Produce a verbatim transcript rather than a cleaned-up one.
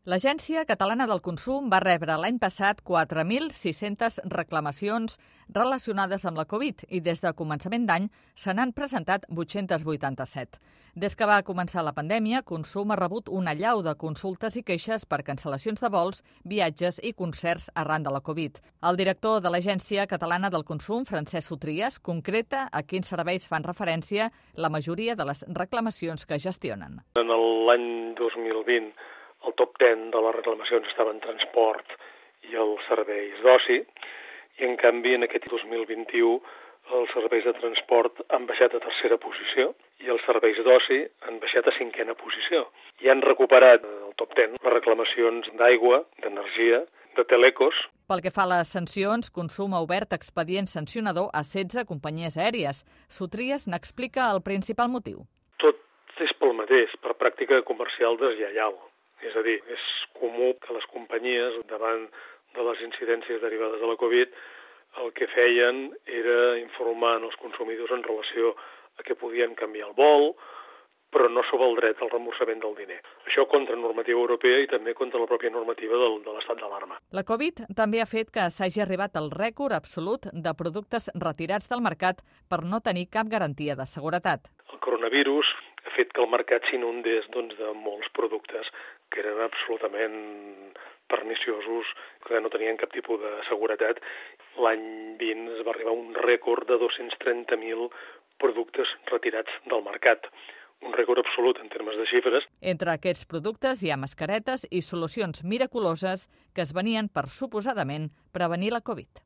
L'Agència Catalana del Consum va rebre l'any passat quatre mil sis-centes reclamacions relacionades amb la Covid i des de començament d'any se n'han presentat vuit-cents vuitanta-set. Des que va començar la pandèmia, Consum ha rebut una allau de consultes i queixes per cancel·lacions de vols, viatges i concerts arran de la Covid. El director de l'Agència Catalana del Consum, Francesc Sotries, concreta a quins serveis fan referència la majoria de les reclamacions que gestionen. En l'any dos mil vint, el top deu de les reclamacions estaven transport i els serveis d'oci, i en canvi en aquest dos mil vint-i-u els serveis de transport han baixat a tercera posició i els serveis d'oci han baixat a cinquena posició. I han recuperat el top deu les reclamacions d'aigua, d'energia, de telecos. Pel que fa a les sancions, Consum ha obert expedient sancionador a setze companyies aèries. Sotries n'explica el principal motiu. Tot és pel mateix, per pràctica comercial deslleial. És a dir, és comú que les companyies, davant de les incidències derivades de la Covid, el que feien era informar els consumidors en relació a que podien canviar el vol, però no sobre el dret al reemborsament del diner. Això contra normativa europea i també contra la pròpia normativa del, de l'estat d'alarma. La Covid també ha fet que s'hagi arribat al rècord absolut de productes retirats del mercat per no tenir cap garantia de seguretat. El coronavirus ha fet que el mercat s'inundés doncs, de molts productes que eren absolutament perniciosos, que no tenien cap tipus de seguretat. L'any vint es va arribar a un rècord de dos-cents trenta mil productes retirats del mercat. Un rècord absolut en termes de xifres. Entre aquests productes hi ha mascaretes i solucions miraculoses que es venien per, suposadament, prevenir la Covid.